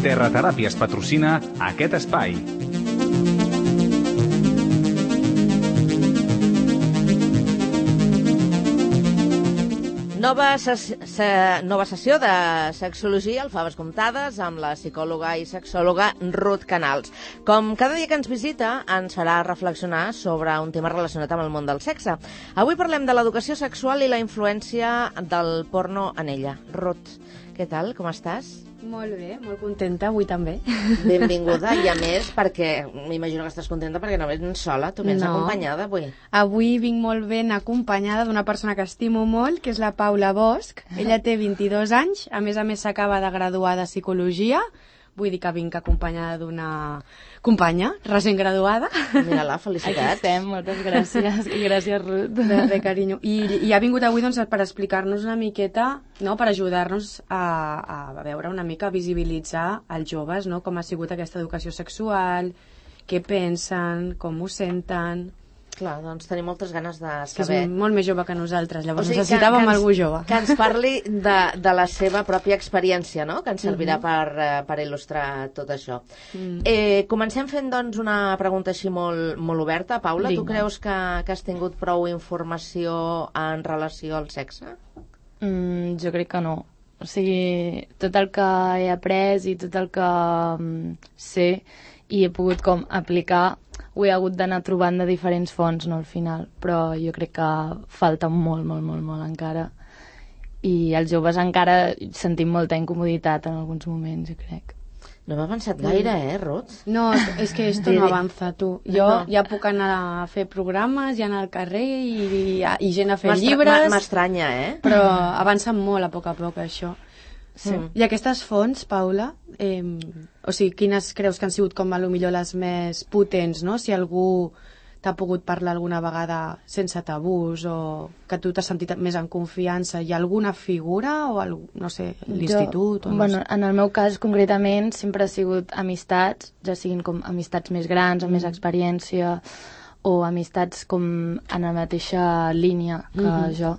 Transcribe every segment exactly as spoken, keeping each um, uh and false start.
Terrateràpies patrocina aquest espai. Nova, ses se nova sessió de Sexologia al Faves Comptades amb la psicòloga i sexòloga Ruth Canals. Com cada dia que ens visita, ens farà reflexionar sobre un tema relacionat amb el món del sexe. Avui parlem de l'educació sexual i la influència del porno en ella. Ruth, què tal? Com estàs? Molt bé, molt contenta, avui també. Benvinguda, i a més, perquè m'imagino que estàs contenta perquè no vens sola, tu vens no. acompanyada avui. Avui vinc molt ben acompanyada d'una persona que estimo molt, que és la Paula Bosch. Ella té vint-i-dos anys, a més a més s'acaba de graduar de Psicologia. Vull dir que vinc acompanyada d'una companya recent graduada. Mira-la, felicitats. Aquí estem, moltes gràcies. I gràcies, Ruth. De res, carinyo. I, I ha vingut avui doncs, per explicar-nos una miqueta, no? Per ajudar-nos a, a veure una mica, a visibilitzar els joves, no? Com ha sigut aquesta educació sexual, què pensen, com ho senten. Clar, doncs tenim moltes ganes de saber. Que és molt més jove que nosaltres, llavors o sigui, necessitàvem que, que ens, algú jove. Que ens parli de, de la seva pròpia experiència, no? Que ens servirà uh-huh. per, per il·lustrar tot això. Mm. Eh, comencem fent, doncs, una pregunta així molt, molt oberta. Paula, Vinga. Tu creus que, que has tingut prou informació en relació al sexe? Mm, jo crec que no. O sigui, tot el que he après i tot el que um, sé i he pogut com aplicar ho he hagut d'anar trobant de diferents fonts, no, al final, però jo crec que falta molt, molt, molt, molt encara. I els joves encara sentim molta incomoditat en alguns moments, jo crec. No m'ha avançat gaire, eh, Ruth? No, és que esto no avança, tu. Jo no. ja puc anar a fer programes, ja anar al carrer i, i gent a fer llibres. M'estranya, eh? Però avança molt a poc a poc, això. Sí. Mm. I aquestes fonts, Paula, eh, o sigui, quines creus que han sigut com a lo millor les més potents, no? Si algú t'ha pogut parlar alguna vegada sense tabús o que tu t'has sentit més en confiança, hi ha alguna figura o, algú, no sé, l'institut? O no bueno, sé. En el meu cas, concretament, sempre ha sigut amistats, ja siguin com amistats més grans, amb mm. més experiència, o amistats com en la mateixa línia que mm-hmm. jo.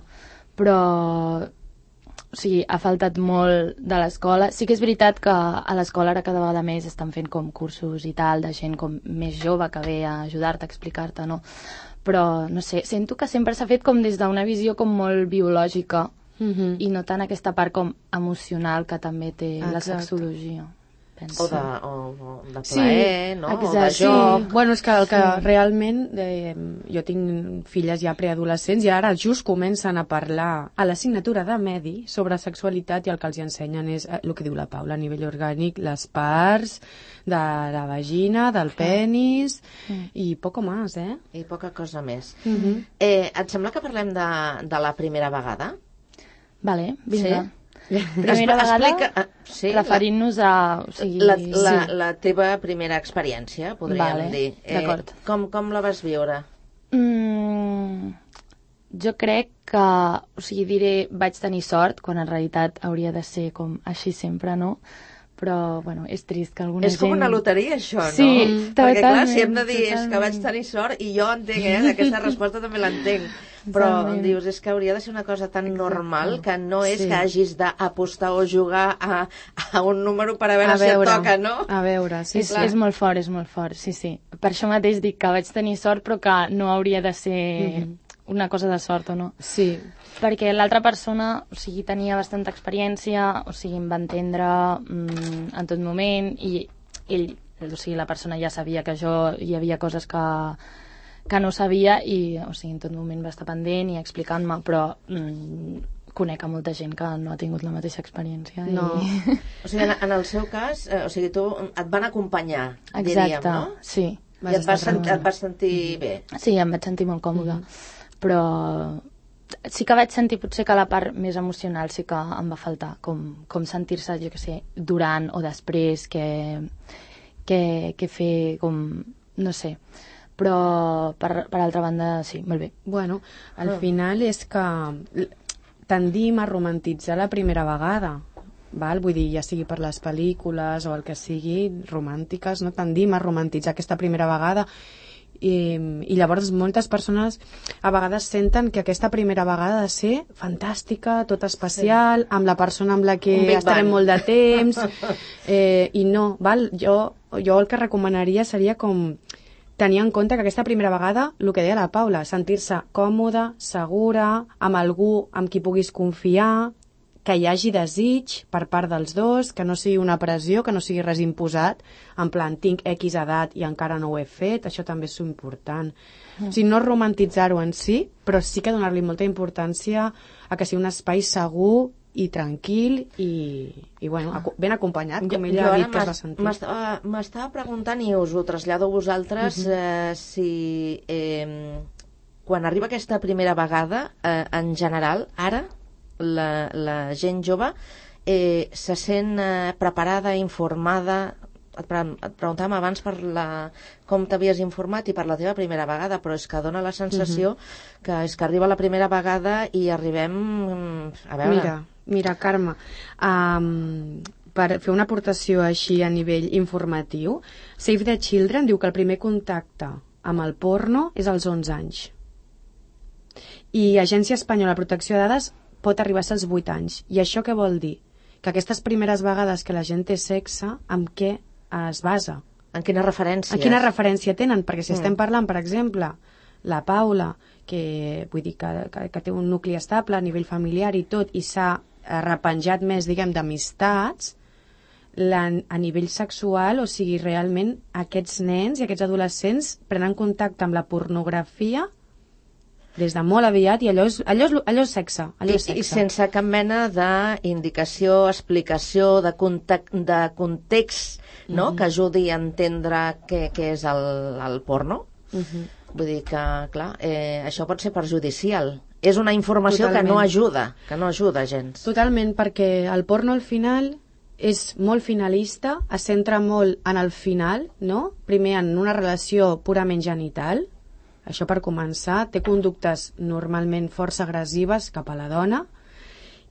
Però o sigui, ha faltat molt de l'escola. Sí que és veritat que a l'escola ara cada vegada més estan fent com cursos i tal, de gent com més jove que ve a ajudar-te, a explicar-te, no? Però, no sé, sento que sempre s'ha fet com des d'una visió com molt biològica mm-hmm. i no tant aquesta part com emocional que també té Exacte. La sexologia. Penso. O de, o, o de plaer, sí, no? Exacte. O de joc. Sí. Bueno, és que el que sí. realment... Eh, jo tinc filles ja preadolescents i ara just comencen a parlar a l'assignatura de Medi sobre sexualitat i el que els ensenyen és eh, el que diu la Paula, a nivell orgànic, les parts de la vagina, del penis mm. i poco más, eh? I poca cosa més. Mm-hmm. eh, et sembla que parlem de, de la primera vegada? Vale, vinga. Sí? Primera vegada, Explica, sí, referint-nos a... O sigui, la, la, sí. la teva primera experiència, podríem vale, dir. Eh, d'acord. Com, com la vas viure? Mm, jo crec que, o sigui, diré, vaig tenir sort, quan en realitat hauria de ser com així sempre, no? Però, bueno, és trist que alguna és gent... És com una loteria, això, no? Sí, Perquè, clar, totalment, si hem de dir totalment. és que vaig tenir sort, i jo entenc, eh? Aquesta resposta també l'entenc. Però Totalment. dius, és que hauria de ser una cosa tan Exacte. Normal que no és Sí. que hagis d'apostar o jugar a, a un número per a veure, A veure, si et toca, no? A veure, sí, és, clar. és molt fort, és molt fort, sí, sí. Per això mateix dic que vaig tenir sort, però que no hauria de ser mm-hmm. una cosa de sort, o no? Sí. Perquè l'altra persona, o sigui, tenia bastanta experiència, o sigui, em va entendre mm, en tot moment, i ell, o sigui, la persona ja sabia que jo hi havia coses que, que no sabia, i, o sigui, en tot moment va estar pendent i explicant-me, però mm, conec a molta gent que no ha tingut la mateixa experiència. No. I... O sigui, en, en el seu cas, eh, o sigui, tu et van acompanyar, Exacte, diríem, no? sí. I et vas, sent, et vas sentir bé. Sí, em vaig sentir molt còmoda, mm. però sí que vaig sentir potser que la part més emocional sí que em va faltar, com, com sentir-se, jo què sé, durant o després, que, que, que fer com, no sé, però per, per altra banda sí, molt bé. Bueno, al oh. final és que tendim a romantitzar la primera vegada, val? Vull dir, ja sigui per les pel·lícules o el que sigui, romàntiques, no? Tendim a romantitzar aquesta primera vegada I, i llavors moltes persones a vegades senten que aquesta primera vegada ha de ser fantàstica, tot especial, sí. amb la persona amb la que estarem molt de temps, eh, i no, val? Jo, jo el que recomanaria seria com tenir en compte que aquesta primera vegada, el que deia la Paula, sentir-se còmoda, segura, amb algú amb qui puguis confiar, que hi hagi desig per part dels dos, que no sigui una pressió, que no sigui res imposat, en plan, tinc X edat i encara no ho he fet, això també és important. Mm. O sigui, no romantitzar-ho en si, però sí que donar-li molta importància a que sigui un espai segur i tranquil i, i bueno, ben acompanyat, com ella ha dit que es va sentir. M'estava preguntant, i us ho trasllado a vosaltres, uh-huh. eh, si eh, quan arriba aquesta primera vegada, eh, en general, ara, la, la gent jove eh, se sent eh, preparada, informada. Et, pre et preguntàvem abans per la, com t'havies informat i per la teva primera vegada, però és que dona la sensació uh-huh. que és que arriba la primera vegada i arribem a veure... Mira, mira Carme, um, per fer una aportació així a nivell informatiu, Save the Children diu que el primer contacte amb el porno és als onze anys. I Agència Espanyola de Protecció de Dades pot arribar a ser als vuit anys. I això què vol dir? Que aquestes primeres vegades que la gent té sexe, amb què es basa? En quina referència? En quina referència tenen? Perquè si mm. estem parlant, per exemple, la Paula, que vull dir que, que, que té un nucli estable a nivell familiar i tot, i s'ha repenjat més, diguem, d'amistats, a nivell sexual, o sigui, realment aquests nens i aquests adolescents prenen contacte amb la pornografia des de molt aviat, i allò és, allò és, allò és sexe. Allò és sexe. I, I sense cap mena d'indicació, explicació, de, context, de context, no? Mm-hmm. que ajudi a entendre què, què és el, el porno. Mm-hmm. Vull dir que, clar, eh, això pot ser perjudicial. És una informació Totalment. que no ajuda, que no ajuda gens. Totalment, perquè el porno al final és molt finalista, es centra molt en el final, no? Primer en una relació purament genital. Això per començar, té conductes normalment força agressives cap a la dona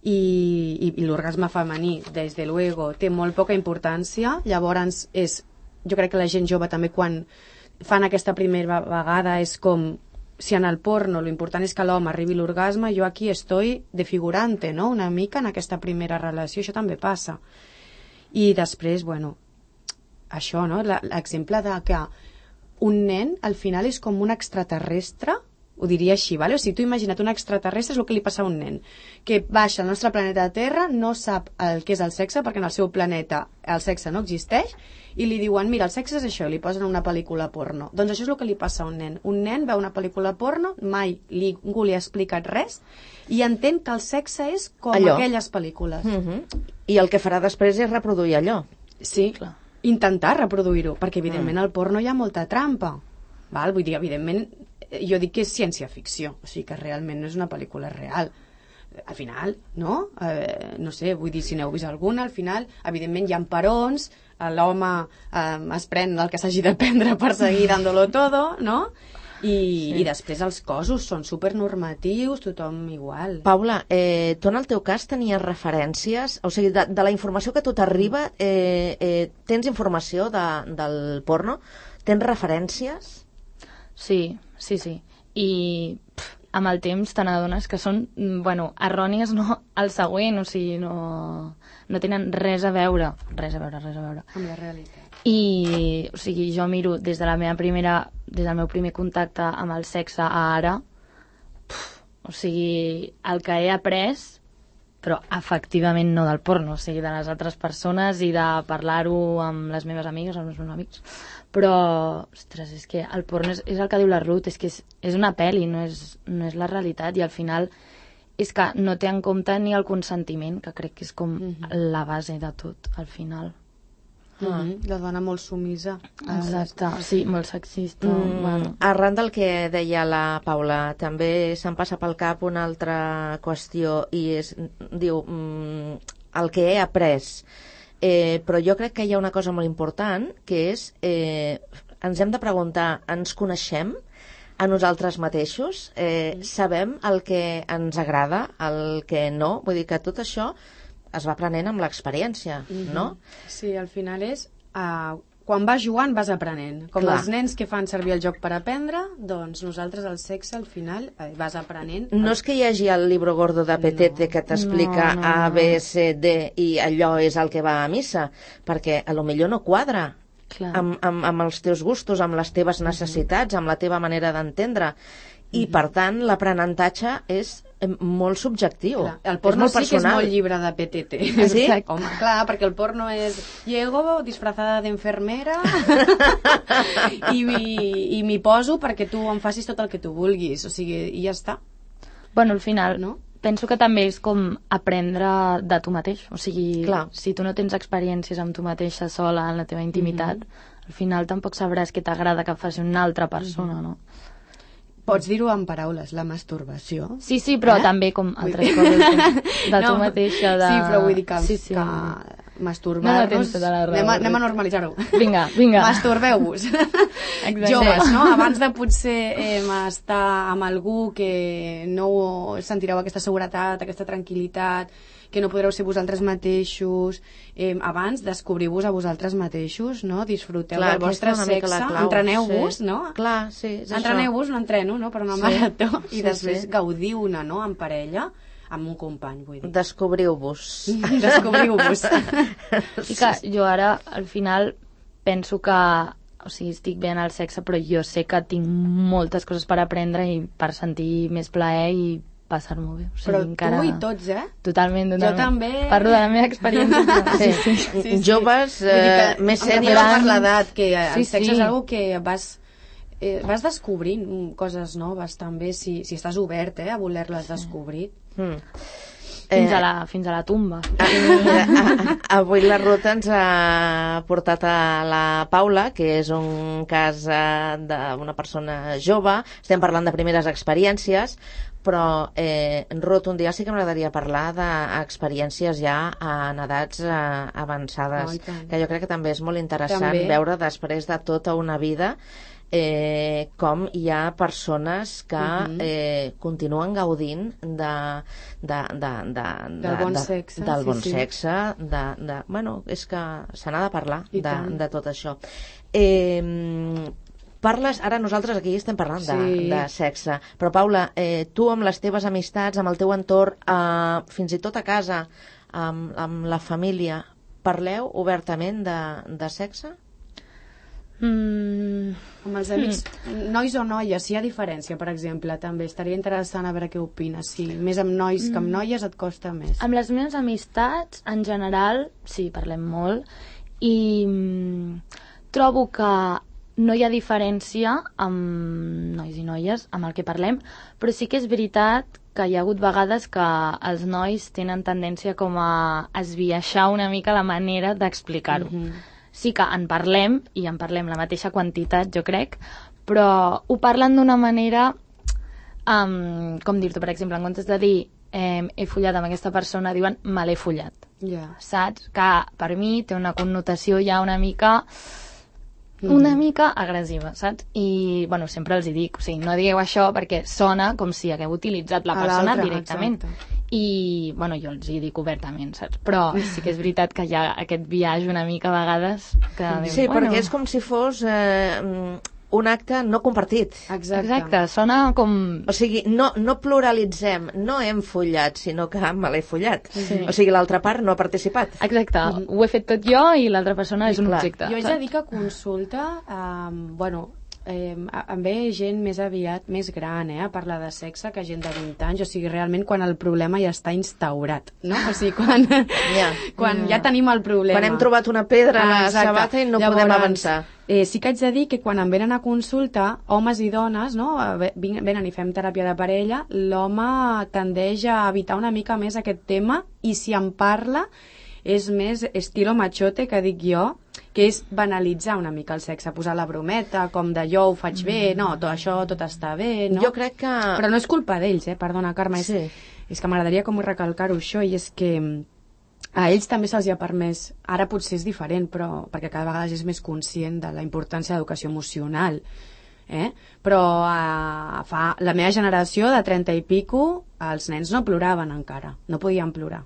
i, i, i l'orgasme femení, des de luego, té molt poca importància. Llavors, és, jo crec que la gent jove també quan fan aquesta primera vegada és com, si en el porno l'important és que l'home arribi a l'orgasme, jo aquí estoy de figurante, no? Una mica en aquesta primera relació, això també passa. I després, bueno, això, no? L'exemple de que un nen, al final, és com un extraterrestre, ho diria així, vale? O sigui, tu imagina't un extraterrestre és el que li passa a un nen, que baixa al nostre planeta Terra, no sap el que és el sexe, perquè en el seu planeta el sexe no existeix, i li diuen, mira, el sexe és això, i li posen una pel·lícula porno. Doncs això és el que li passa a un nen. Un nen veu una pel·lícula porno, mai li, ningú li ha explicat res, i entén que el sexe és com allò. Aquelles pel·lícules. Mm-hmm. I el que farà després és reproduir allò. Sí, clar. Intentar reproduir-ho, perquè evidentment al porno hi ha molta trampa, val? Vull dir, evidentment jo dic que és ciència-ficció, o sigui que realment no és una pel·lícula real. Al final, no? Eh, no sé, vull dir, si n'heu vist alguna, al final, evidentment hi ha perons, l'home eh, es pren el que s'hagi de prendre per seguir dándolo todo, no? I, sí. I després els cossos són supernormatius, tothom igual. Paula, eh, tu en el teu cas tenies referències, o sigui, de, de la informació que a tu t'arriba, eh, eh, tens informació de, del porno? Tens referències? Sí, sí, sí. I pff, amb el temps te n'adones que són, bueno, errònies no al següent, o sigui, no, no tenen res a veure, res a veure, res a veure. Amb la realitat. I, o sigui, jo miro des de la meva primera, des del meu primer contacte amb el sexe a ara, puf, o sigui, el que he après, però efectivament no del porno, o sigui, de les altres persones i de parlar-ho amb les meves amigues, amb els meus amics. Però, ostres, és que el porno és, és el que diu la Ruth, és que és, és una pel·li, no és, no és la realitat, i al final és que no té en compte ni el consentiment, que crec que és com mm-hmm. la base de tot, al final. Mm-hmm. La dona molt sumisa. Exacte, sí, molt sexista. Mm, bueno. Arran del que deia la Paula, també se'm passa pel cap una altra qüestió, i és, diu, mm, el que he après. Eh, però jo crec que hi ha una cosa molt important, que és, eh, ens hem de preguntar, ens coneixem a nosaltres mateixos? Eh, sabem el que ens agrada, el que no? Vull dir que tot això es va aprenent amb l'experiència, mm-hmm. no? Sí, al final és uh, quan vas jugant vas aprenent. Com Clar. els nens que fan servir el joc per aprendre, doncs nosaltres el sexe al final eh, vas aprenent. No és que hi hagi el libro gordo de Petete No. que t'explica No, no, A, no. B, C, D i allò és el que va a missa, perquè a lo millor no quadra Clar. amb, amb, amb els teus gustos, amb les teves necessitats, amb la teva manera d'entendre. I, per tant, l'aprenentatge és eh, molt subjectiu. Clar, el és porno molt sí que és personal. molt llibre de P T T. Ah, sí? Home, clar, perquè el porno és llego disfrazada d'enfermera i, i, i m'hi poso perquè tu em facis tot el que tu vulguis. O sigui, i ja està. Bueno, al final, No? penso que també és com aprendre de tu mateix. O sigui, Clar. si tu no tens experiències amb tu mateixa sola en la teva intimitat, al final tampoc sabràs què t'agrada que faci una altra persona, no? Pots dir-ho en paraules, la masturbació. Sí, sí, però Eh? també com Vull altres dir- coses com de tu No, mateixa. De... Sí, però vull dir que, sí, sí. que masturbar-nos... No, tens tota la raó. anem, a, anem a normalitzar-ho. Vinga, vinga. Masturbeu-vos. Exacte. Joves, no? Abans de potser eh, estar amb algú que no sentireu aquesta seguretat, aquesta tranquil·litat, que no podreu ser vosaltres mateixos, eh, abans descobriu-vos a vosaltres mateixos, no? Disfruteu Clar, del vostre aquesta és una mica sexe, la clau, entreneu-vos, sí. no? Clar, sí, és això. Entreneu-vos, un entreno, no? Per una Sí. marató, i Sí, després sí. gaudiu-ne, no? En parella, amb un company, vull dir. Descobriu-vos. Descobriu-vos. I que jo ara, al final, penso que o sigui, estic bé en el sexe, però jo sé que tinc moltes coses per aprendre i per sentir més plaer i passar-m'ho bé. O sigui, Però encara... tu i tots, eh? Totalment, totalment. Jo també. Parlo de la meva experiència. Sí. Sí, sí. Sí, sí. Joves, Vull dir eh, que més em refereixo sèniors. per l'edat, que el Sí, sexe sí. és algo que vas, eh, vas descobrint mm, coses noves també, si, si estàs obert eh, a voler-les descobrir. Mm. Fins, Eh, a la, fins a la tumba. Ah, mira, a- a- avui la Ruth ens ha portat a la Paula, que és un cas eh, d'una persona jove. Estem parlant de primeres experiències, però eh, Ruth, un dia sí que m'agradaria parlar d'experiències ja en edats eh, avançades, Oh, i tant. que jo crec que també és molt interessant També. veure després de tota una vida eh, com hi ha persones que Mhm. eh, continuen gaudint de, de, de, de, de, Del bon de, sexe, del sí, bon sí. sexe de, de, bueno, és que se n'ha de parlar I de, tant. de tot això. Eh, parles, ara nosaltres aquí estem parlant de, Sí. de sexe, però Paula, eh, tu amb les teves amistats, amb el teu entorn, eh, fins i tot a casa, amb, amb la família, parleu obertament de, de sexe? Mm, Amb els amics, nois o noies, si hi ha diferència, per exemple, també estaria interessant a veure què opines. Si més amb nois que amb noies et costa més. amb les meves amistats, en general, sí, parlem molt, i mm, trobo que no hi ha diferència amb nois i noies, amb el que parlem, però sí que és veritat que hi ha hagut vegades que els nois tenen tendència com a esbiaixar una mica la manera d'explicar-ho. Mhm. Sí que en parlem, i en parlem la mateixa quantitat, jo crec, però ho parlen d'una manera, um, com dir-t'ho, per exemple, en comptes de dir eh, he follat amb aquesta persona, diuen me l'he follat, Ja. saps? Que per mi té una connotació ja una mica una mica agressiva, saps? I, bueno, sempre els hi dic, o sigui, no digueu això perquè sona com si hagueu utilitzat la A persona l'altre, directament. exacte. I, bueno, jo els hi dic obertament, saps? Però sí que és veritat que hi ha aquest viatge una mica a vegades que dius, Sí, bueno, perquè és com si fos eh, un acte no compartit. Exacte. Exacte, sona com... O sigui, no, no pluralitzem, no hem follat, sinó que me l'he follat. Sí. O sigui, l'altra part no ha participat. Exacte, ho he fet tot jo i l'altra persona és un Clar. objecte. Jo haig de dir que consulta, um, bueno, eh, em ve gent més aviat, més gran, eh, a parlar de sexe que gent de vint anys, o sigui, realment quan el problema ja està instaurat, no? O sigui, quan, Ja. quan ja tenim el problema. Quan hem trobat una pedra a la Exacte. sabata i no Llavors, podem avançar. Eh, sí que haig de dir que quan em venen a consulta, homes i dones, no, ve- vin- venen i fem teràpia de parella, l'home tendeix a evitar una mica més aquest tema i si en parla és més estilo machote, que dic jo, que és banalitzar una mica el sexe, posar la brometa, com de jo ho faig bé, no, tot això, tot està bé, no? Jo crec que... Però no és culpa d'ells, eh? Perdona, Carme, és, Sí. és que m'agradaria com recalcar-ho això, i és que mm, a ells també se'ls ha permès, ara potser és diferent, però perquè cada vegada és més conscient de la importància de l'educació emocional, eh? Però a, fa la meva generació de trenta i pico els nens no ploraven encara, no podien plorar.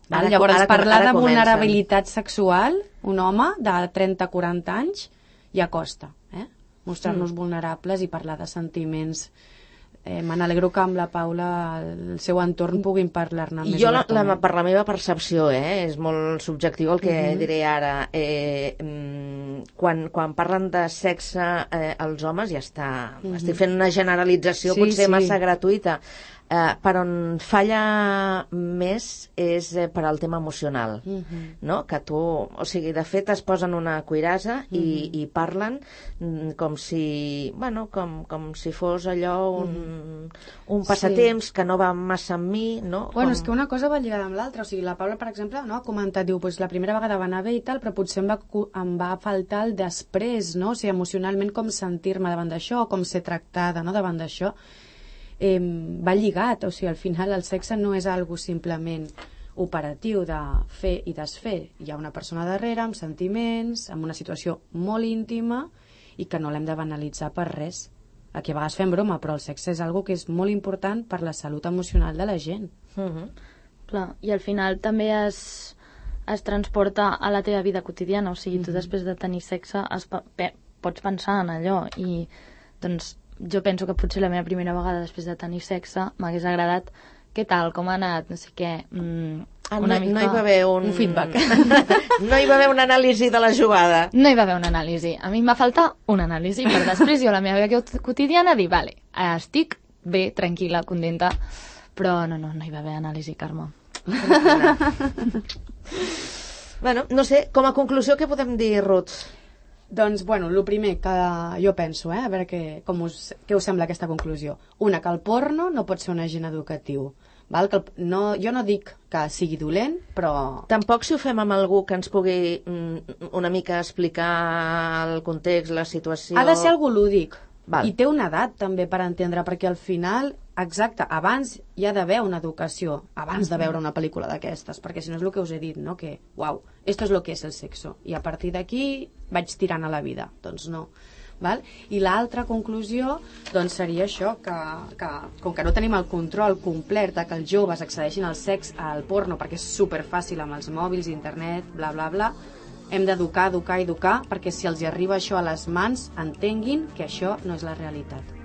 Ara, Llavors, ara, parlar ara de vulnerabilitat sexual, un home de trenta a quaranta anys, ja costa, eh? Mostrar-nos mm. vulnerables i parlar de sentiments. Eh, Me n'alegro que amb la Paula el seu entorn puguin parlar-ne més jo la, la, obertament. per la meva percepció, eh, és molt subjectiu el que mm-hmm. diré ara. Eh, quan, quan parlen de sexe eh, els homes ja està, mm-hmm. estic fent una generalització sí, potser sí. massa gratuïta. Eh, per on falla més és eh, per al tema emocional, mm-hmm. no? Que tu, o sigui, de fet es posen una cuirassa mm-hmm. i, i parlen mm, com si, bueno, com, com si fos allò un, mm-hmm. un passatemps sí. que no va massa amb mi, no? Bueno, com... és que una cosa va lligada amb l'altra, o sigui, la Paula, per exemple, no, ha comentat, diu, pues, la primera vegada va anar bé i tal, però potser em va, em va faltar el després, no? O sigui, emocionalment com sentir-me davant d'això, com ser tractada, no?, davant d'això. Eh, va lligat, o sigui, al final el sexe no és algo simplement operatiu de fer i desfer. Hi ha una persona darrere amb sentiments, amb una situació molt íntima i que no l'hem de banalitzar per res. Aquí a vegades fem broma, però el sexe és algo que és molt important per la salut emocional de la gent. Uh-huh. Clar, i al final també es, es transporta a la teva vida quotidiana, o sigui, uh-huh. tu després de tenir sexe es, pe, pots pensar en allò i doncs jo penso que potser la meva primera vegada després de tenir sexe m'hagués agradat què tal, com ha anat, no sé què, mm, ah, una no, mica... no hi va haver un... un feedback. No hi va haver una anàlisi de la jugada. No hi va haver una anàlisi. A mi em va faltar una anàlisi per després jo a la meva vida quotidiana dir, vale, estic bé, tranquil·la, contenta, però no, no, no hi va haver anàlisi, Carme. Bueno, no sé, com a conclusió què podem dir, Ruth? Doncs, bueno, el primer que jo penso, eh, a veure què, com us, què us sembla aquesta conclusió. Una, que el porno no pot ser un agent educatiu. Val? Que el, no, jo no dic que sigui dolent, però... Tampoc si ho fem amb algú que ens pugui mm, una mica explicar el context, la situació... Ha de ser algú lúdic. Val. I té una edat també per entendre, perquè al final, exacte, abans hi ha d'haver una educació, abans de veure una pel·lícula d'aquestes, perquè si no és el que us he dit, no? Que, uau, esto es lo que es el sexo, i a partir d'aquí vaig tirant a la vida. Doncs no. Val? I l'altra conclusió doncs seria això, que, que com que no tenim el control complet de que els joves accedeixin al sex, al porno, perquè és superfàcil amb els mòbils, internet, bla, bla, bla, hem d'educar, educar, educar, perquè si els hi arriba això a les mans, entenguin que això no és la realitat.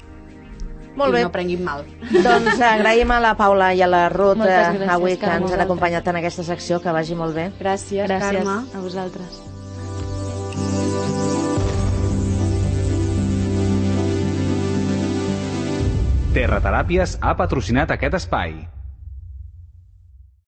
Molt I bé. no prenguin mal. Doncs agraïm a la Paula i a la Ruth gràcies, avui que Carme, ens han acompanyat en aquesta secció, que vagi molt bé. Gràcies, Gràcies Carme. a vosaltres. Terrateràpies ha patrocinat aquest espai.